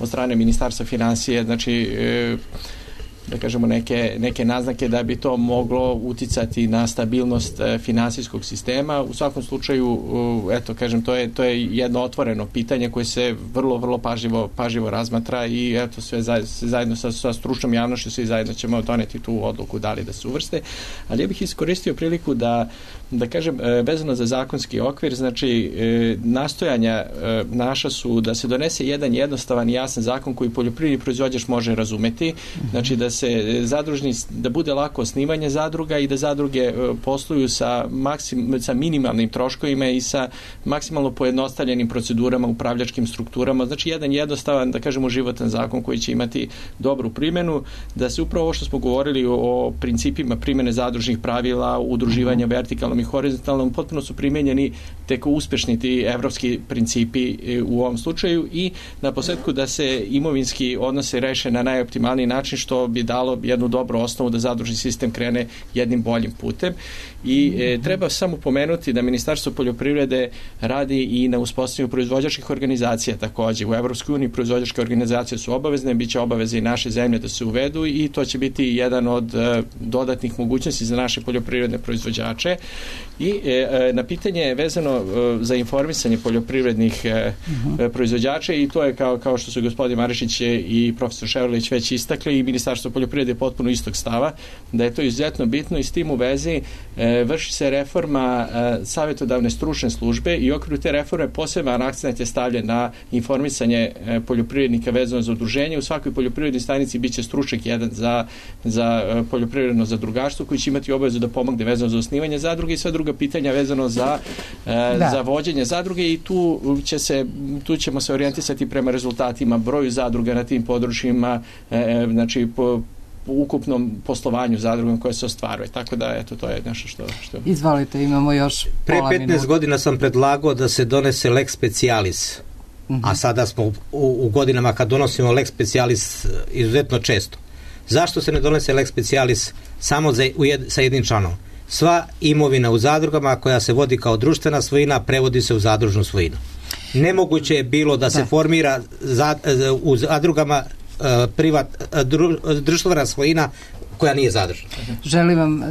od strane Ministarstva financije, znači da kažemo neke naznake da bi to moglo uticati na stabilnost finansijskog sistema. U svakom slučaju, eto, kažem, to je jedno otvoreno pitanje koje se vrlo, vrlo pažljivo razmatra i eto, sve zajedno sa stručnom javnošću svi zajedno ćemo doneti tu odluku da li da se uvrste. Ali ja bih iskoristio priliku da kažem, vezano za zakonski okvir, znači nastojanja naša su da se donese jedan jednostavan i jasan zakon koji poljoprivredni proizvođač može razumeti, znači da bude lako osnivanje zadruga i da zadruge posluju sa minimalnim troškovima i sa maksimalno pojednostavljenim procedurama, upravljačkim strukturama, znači jedan jednostavan, da kažemo, životan zakon koji će imati dobru primjenu, da se upravo ovo što smo govorili o principima primjene zadružnih pravila, udruživanja vertikalnom i horizontalnom, potpuno su primjenjeni tek uspešni ti evropski principi u ovom slučaju i na posledku da se imovinski odnose reše na najoptimalniji način, što bi dalo jednu dobru osnovu da zadružni sistem krene jednim boljim putem. I treba samo pomenuti da Ministarstvo poljoprivrede radi i na uspostavljanju proizvođačkih organizacija takođe. U Evropskoj uniji proizvođačke organizacije su obavezne, bit će obaveze i naše zemlje da se uvedu i to će biti jedan od dodatnih mogućnosti za naše poljoprivredne proizvođače. I na pitanje vezano za informisanje poljoprivrednih proizvođača, i to je kao što su gospodin Marišić i profesor Ševarlić već istakli, i Ministarstvo poljoprivrede je potpuno istog stava, da je to izuzetno bitno i s tim u vezi vrši se reforma savjetodavne stručne službe i u okviru te reforme poseban akcent je stavljen na informisanje poljoprivrednika vezano za udruženje. U svakoj poljoprivrednoj stanici biće stručnjak jedan za poljoprivredno zadrugarstvo koji će imati obavezu da pomogne vezano za osnivanje zadruge i sve druga pitanja vezano za vođenje zadruge i tu ćemo se orijentisati prema rezultatima, broju zadruga na tim područjima, znači po ukupnom poslovanju zadrugom koje se ostvaruje. Tako da, eto, to je nešto što... Izvolite, imamo još pola minuta. Pre 15 godina sam predlagao da se donese lex specialis, a sada smo u godinama kad donosimo lex specialis izuzetno često. Zašto se ne donese lex specialis samo sa jednim članom? Sva imovina u zadrugama koja se vodi kao društvena svojina prevodi se u zadružnu svojinu. Nemoguće je bilo da se formira u zadrugama društvena svojina koja nije zadružna. Želim vam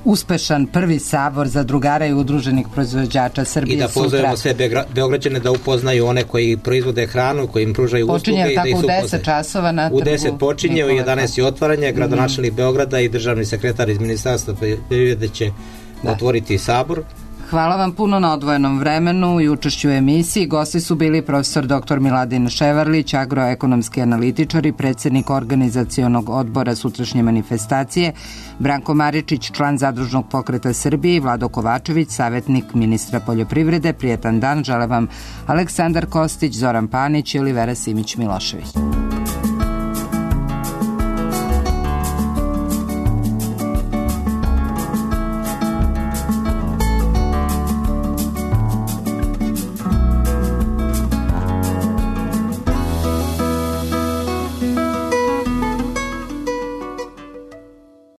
uspešan prvi sabor zadrugara i udruženih proizvođača Srbije sutra. I da pozovemo sve Beograđane da upoznaju one koji proizvode hranu, koji im pružaju usluge i da ih upoznaju. U 10 časova na trgu. U 10 počinje, u 11 je otvaranje, gradonačelnik Beograda i državni sekretar iz Ministarstva poljoprivrede će otvoriti sabor. Hvala vam puno na odvojenom vremenu i učešću u emisiji. Gosti su bili profesor dr. Miladin Ševarlić, agroekonomski analitičar i predsjednik organizacionog odbora sutrašnje manifestacije, Branko Maričić, član Zadružnog pokreta Srbije i Vlado Kovačević, savjetnik ministra poljoprivrede. Prijetan dan žele vam Aleksandar Kostić, Zoran Panić i Olivera Simić-Milošević.